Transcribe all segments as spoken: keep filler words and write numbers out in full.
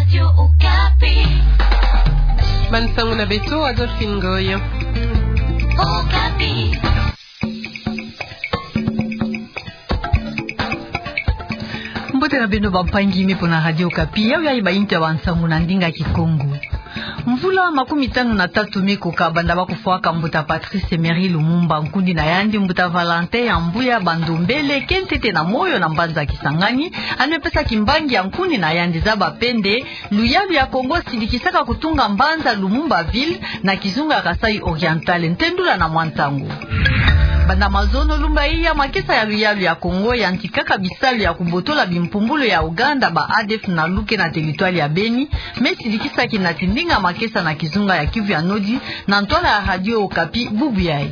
Radio Okapi. Bansangu na beto, Adolphine Ngoy. Okapi. Mbote na beno bampangi me mpo na Radio Okapi, yawe yayi bainti ya bansangu na ndinga Kikongo. Mvula makumi tanu na tatu me koka banda bakufwaka mbuta Patrice Emery Lumumba, nkundi na yandi mbuta Valentin ya Mbuya Bandombele ke ntete na moyo na mbanza Kisangani, yandi me pesa kimbangi ya nkundi na yandi zaba pe nde luyalu ya Kongo sidikisaka kutunga mbanza Lumumbaville na kizunga Kasaï Oriental. Ntendula na mwa nsangu. Banda mazono lumbu iya, makesa ya luyalu ya Kongo yantikaka bisalu ya kubotola bimpumbulu ya Ouganda ba ADF-NALU ke na territoire ya Beni, me sidikisaki na tindinga makesa na kizunga ya Kivu ya Nord, na ntwala ya Radio Okapi bubu yayi.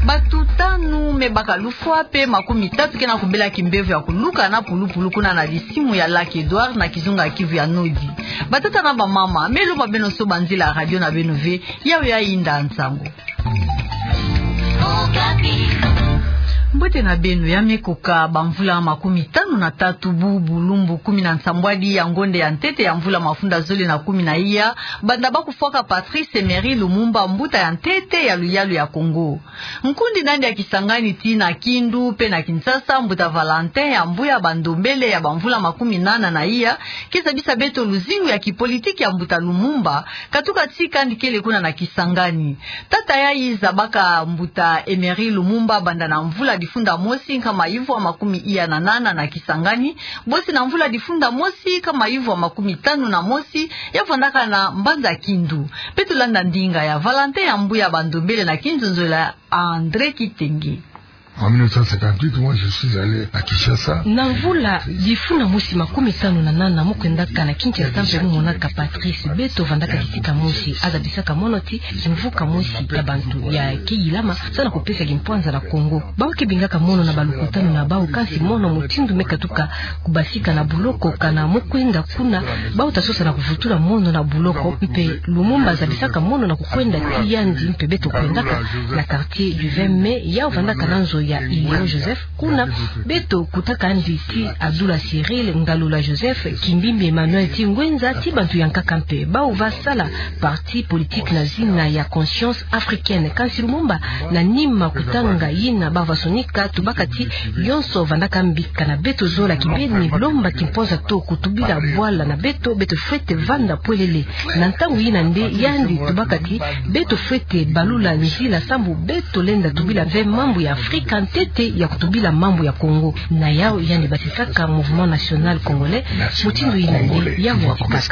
Bato tanu me baka lufwa pe makumi tatu ke na kubela kimbevo ya kuluka na pulupulu kuna na lisimu ya Lac Edouard na kizunga ya Kivu ya Nord. Batata na bamama, me lomba beno soba nzila radio na beno ve, yawe yayi yinda nsangu. Mbote na beno. Ya me koka bamvula makumi tanu na tatu bu bulumbu kumi na nsambwadi ya ngonde ya ntete ya mvula mafunda zole na kumi na iya, banda bakufwaka Patrice Emery Lumumba, mbuta ya ntete ya luyalu ya Kongo. Nkundi na yandi ya Kisangani tii na Kindu pe na Kinshasa, mbuta Valentin ya Mbuya Bandombele ya bamvula makumi nana na iya, ke zabisa beto luzingu ya kipolitiki ya mbuta Lumumba, katuka tii kandi kele kuna na Kisangani. Tata yayi zabaka mbuta Emery Lumumba banda na mvula difunda mosi nkama ivwa makumi iya na nana na Kisangani, bosi na mvula difunda mosi nkama ivwa makumi tanu na mosi, ya vandaka na mbanza Kindu. Beto landa ndinga ya Valentin ya Mbuya Bandombele na kinzonzolo ya André Kitenge. En mille neuf cent cinquante-huit, moi, je suis allé à Kinshasa. Na mvula difunda mosi makumi tanu na nana, mu kwendaka na Kinshasa mpe mu monaka Patrice, beto vandaka kisika mosi. Azabisaka mono ti kimvuka mosi ya bantu ya ke yilama, samu na kupesa kimpwanza na Kongo. Bawu ke bingaka mono na balukutanu na bawu, kansi mono mutindu me katuka kubasika na buloko, kana mu kwenda kuna, bawu ta sosa na kuvutula mono na buloko. Mpe Lumumba azabisaka mono na kukwenda ti yandi, mpe beto kwendaka na quartier du vingt mai, yawu vandaka na nzo ya Ileo Joseph. Kuna beto kutaka yandi ti Adoula Cyril, Ngalula Joseph, Kimbimbi Emmanuel ti Ngwenza, ti bantu ya nkaka mpe. Bawu va sala parti politique na zina ya Conscience Africaine. Kansi Lumumba, na nima kutanga yina bawu va sonika, tubaka ti yonso vandaka mbi, kana beto zola kibeni lomba kimpwanza to kutubila bwala na beto, beto fwete vanda pwelele. Na ntangu yina nde yandi tubaka ti beto fwete balula nzila sambu beto lenda tubila ve mambu ya Afrika ntete ya kutubila mambu ya Kongo. Na yawu yandi basisaka Mouvement National Congolais, mutindu yina nde yawu yatikaka.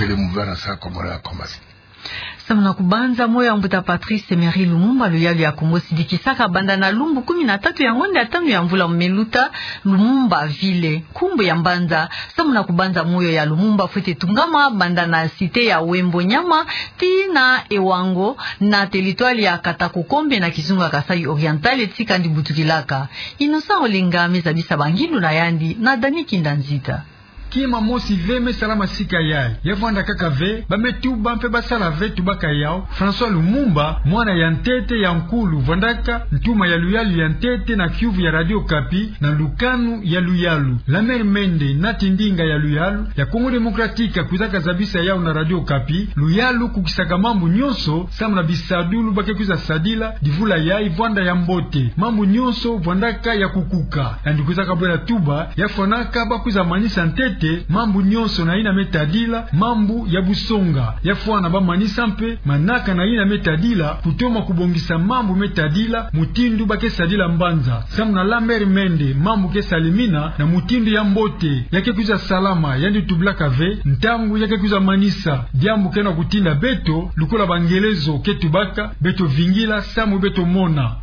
Samu na kubanza moyo ya mbuta Patrice Emery Lumumba, luyalu ya Kongo sidikisaka banda na lumbu kumi na tatu ya ngonde ya tanu ya mvula me luta, Lumumbaville, nkumbu ya mbanza. Samu na kubanza moyo ya Lumumba fwete tungama banda na cité ya Wembo Nyama tii na Ewango, na territoire ya Katakokombe na kizunga Kasaï Oriental, tii kandi butukilaka. Innocent Olenga me zabisa bangindu na yandi na Dani Kinda Nzita. Kima mosi ve me salama sika yayi. Ya vwanda kaka ve, ba me tuba mpe ba sala ve tubaka yawu. François Lumumba, mwana ya ntete ya nkulu, vwandaka ntuma ya luyalu ya ntete na kiuvu ya Radio Okapi, na lukanu ya luyalu. Lamer Mende, nati ndinga ya luyalu ya Congo Démocratique, kwizaka zabisa yawu na Radio Okapi: luyalu kukisaka mambu nyonso, samu na bisadulu ba ke kwiza sadila divula yayi vwanda ya mbote. Mambu nyonso vwandaka ya kukuka. Yandi kwizaka bwela tuba, ya fwanaka ba kwiza manisa ntete mambu nyonso na yina me tadila mambu ya busonga. Ya fwana ba manisa mpe manaka na yina me tadila kutoma kubongisa mambu me tadila mutindu ba ke sadila mbanza. Samu na Lamer Mende, mambu ke salemina na mutindu ya mbote, ya ke kwiza salama. Yandi tubilaka ve ntangu ya ke kwiza manisa. Diambu ke na kutinda beto, lukula bangelezo ke tubaka, beto vingila samu beto mona.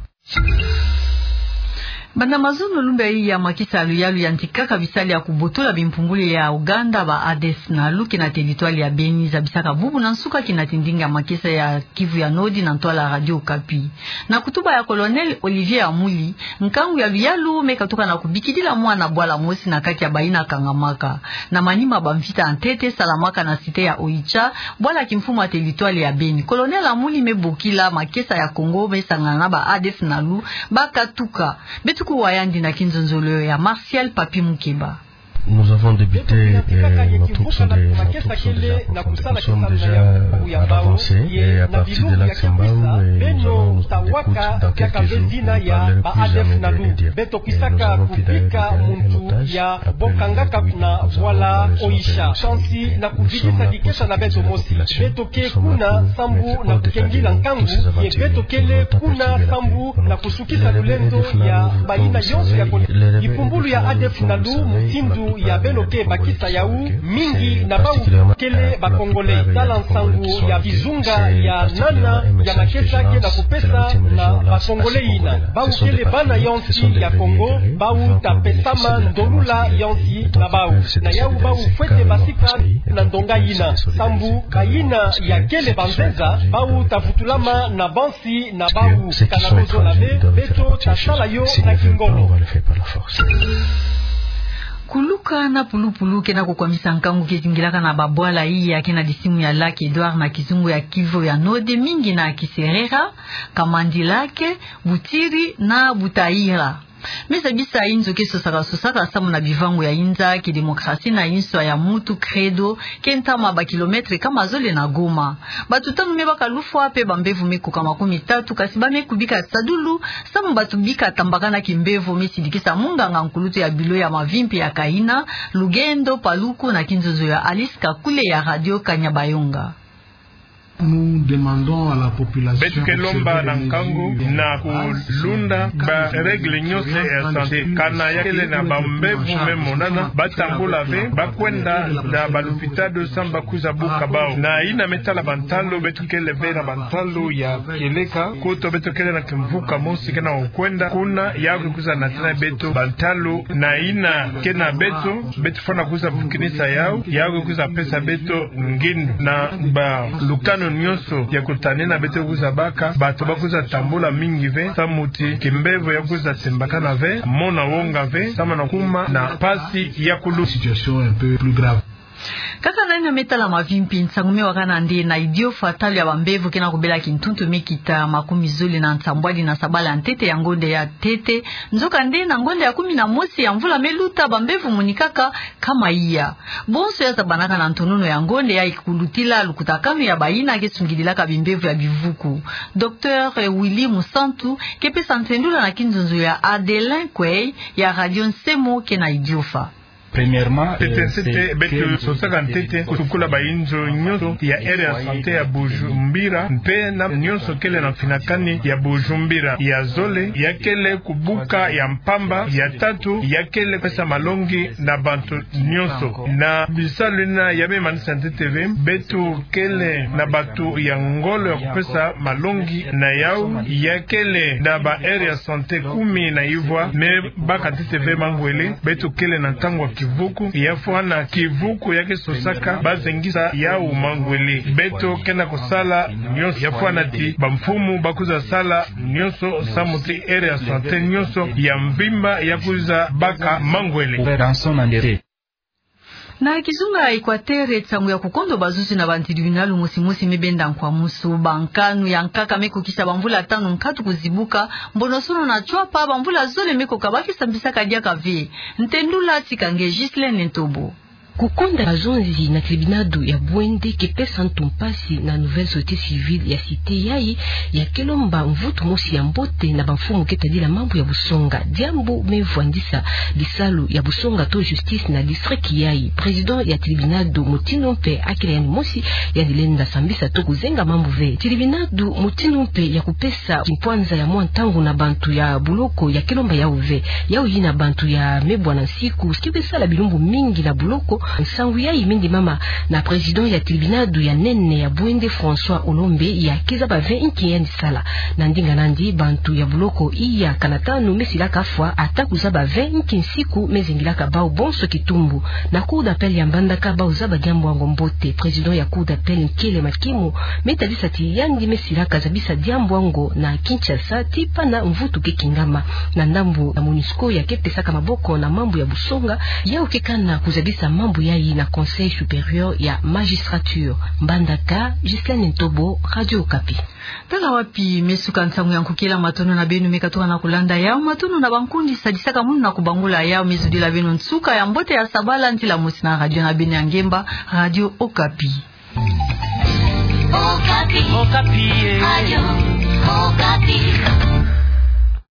Banda mazono lumbu yayi, makesa ya luyalu yantikaka bisalu ya kubotola bimpungulu ya Ouganda ba ADF-NALU ke na territoire ya Beni, zabisaka bubu na nsuka kina tindinga makesa ya Kivu ya Nord na ntwala Radio Okapi. Na kutuba ya Colonel Olivier Amuli, nkangu ya luyalu me katuka na kubikidila mwana bwala mosi na kati ya bayina kangamaka na manima bamvita ya ntete salamaka na cité ya Oicha, bwala kimfumu ya territoire ya Beni. Colonel Amuli me bokila makesa ya Congo me sangana na ba ADF-NALU ba katuka. Beto kuwa yandi na kinzonzolo ya Martial Papi Mukeba. Nous avons débuté, euh, notre opération de kesa kele na kusala kisalu na yau ya mbau, ye na bilumbu ya kiakwisa, beno tawaka diaka ve zina ya ba ADF Nalu. Beto kwisaka kubika muntu ya bokangaka na vwala Oisha. Kansi na kuvidisa dikesa na beto mosi. Beto ke kuna sambu na kukengila nkangu, ye beto kele kuna sambu na kusukisa lulendo ya bayina yonso ya Kongo. Kipumbulu ya ADF Nalu, mutindu ya beno ke bakisa yau, mingi na bau kele ba Congolais. Tala nsangu ya kizunga ya nana ya makesa ke na kupesa na ba Congolais yina. Bau kele bana ya nsi ya Kongo, bau tapesama ndolula ya nsi na bau. Na yau bau fwete basika na ndonga yina. Sambu bayina ya kele banzenza, bau tavutulama na bansi na bau. Kana kozola ve, beto tasala yo na kingolo. Kuluka na pulupulu ke na kukwamisa nkangu ke zingilaka na babwala iya ke na disimu ya Lac Edouard na kizunga ya Kivu ya Nord, mingi na Kiserera, Kamandi Lac, Butiri na Butayira. Me zabisa inzo ke sosaka sosaka samu na bivangu ya inza, kidemokrasi na inswa ya mutu, credo, ke ntama ba kilometre kama zole na Goma. Bato tanu me baka lufwa mpe bambevo me koka makumi tatu, kasi ba me kubika sadulu samu bato bika tambakana kimbevo, me sidikisa munganga nkulutu ya bilo ya mavimpi ya Kaina, Lugendo Paluku, na kinzonzo ya Alice Kakule ya Radio Kanyabayonga. Beto ke lomba na nkangu na kulunda ba règles nyonso ya santé. Kana ya kele na bambevo me monana, ba tambula ve, ba kwenda na balupitalu samu ba kwiza buka bau. Na yina me tala bantalu, beto kele ve na bantalu ya kieleka, kutu beto kele na kimvuka mosi ke na kwenda kuna, yau ke kwiza natila beto bantalu, na yina ke na beto, beto fwana kwiza vukinisa yau, yau ke kwiza pesa beto ngindu. Na balukanu nyonso ya kutanina beto kwiza baka, bato ba kwiza tambula mingi ve, samu ti kimbevo ya kwiza tembakana ve, mona wonga ve, samu na kuma na mpasi ya kulu. Situation un peu plus grave. Kaka na yina me tala mavimpi, nsangu me wakana nde na Idiofa, talu ya bambevo ke na kubela kintuntu me kita makumi zole na nsambwadi na sabala ya ntete ya ngonda ya ntete. Nzokande na ngonda ya kumi na mosi ya mvula me luta, bambevo monikaka kama iya. Bonso ya zabanaka na ntonono ya ngonda ya ikulutila lukutakanu ya bayina ke sungidilaka bimbevo ya bivuku. Docteur Willy Musantu ke pesa ntendula na kinzonzo ya Adelin Kwei ya Radio Nsemo ke na Idiofa. Premièrement, ntete, euh, ntete, c'est beto que sosaka ntete kusukula bainzo nyonso ya aire ya santé ya Bujumbura, mpe na nyonso kele na mfinakani ya Bujumbura. Ya zole, ya kele kubuka ya mpamba. Ya tatu, ya kele pesa malongi na bantu nyonso. Na bisalu yina ya me manisa ntete ve, beto kele na bato ya ngolo ya kupesa malongi na yau, ya kele na ba aire ya santé kumi na ivwa, me baka ntete ve mangwele. Beto kele na ntangu ya kivuku, ya fwana kivuku ya ke sosaka, ba zengisa yau mangwele. Beto ke na kusala nyonso, ya fwana ti bamfumu ba kwiza sala nyonso, samu ti aire ya santé nyonso ya mvimba ya kwiza baka mangwele. Na kizunga ya Equateur, nsangu ya kukondo bazuzi na bantribinalu mosi mosi me benda nkwamusu. Bankanu ya nkaka me kukisa bamvula tanu nkatu kuzibuka, Mbonosono na Tshuapa, bamvula zole me koka ba ke sambisaka diaka ve. Ntendula tika nge Ghislaine Ntobo. Kukonda bazonzi na tribinadu ya Bouende ke pesa ntu mpasi na nouvelle société civile ya cité yayi, ya ke lomba mvutu mosi ya mbote na bamfumu ke tadila mambu ya busonga. Diambu me vwandisa bisalu ya busonga to justice na district yayi. Président ya tribinadu mutindu mpe akila yandi mosi, yandi lenda sambisa to kuzenga mambu ve. Tribinadu mutindu mpe ya kupesa kimpwanza ya mwa ntangu na bantu ya buloko ya ke lomba yau ve. Yau yina bantu ya me bwana nsiku ke be sala bilumbu mingi na buloko. Nsangu yayi me ndimama na président ya tribinadu ya nene ya Bouende, François Olombe, ya ke zaba ve nki yandi sala. Na ndinga nandi, bantu ya buloko iya kana tanu me silaka fwa, ata kuzaba ve nki nsiku me zengilaka bau bonso kitumbu. Na cour d'appel ya Mbandaka bau zaba diambu yango mbote. Président ya cour d'appel, Nkele Makimu, me tadisa ti yandi me silaka zabisa diambu yango na Kinshasa ti pana mvutu ke kingama. Na ndambu ya MONUSCO ya ke pesaka maboko na mambu ya busonga, yau ke kana kuzabisa mambu Buyayi na Conseil supérieur ya magistrature. Mbandaka, Ghislaine Ntobo, Radio Okapi. Tala wapi me suka nsangu ya nkukila, matondo na beno me katuka na kulanda yawu, matondo na bankundi sadisaka munu na kubangula yawu. Me zudila beno nsuka ya mbote ya sabala, ntila mosi na radio na beno ya ngemba, Radio Okapi. Okapi. Okapi, eh. Radio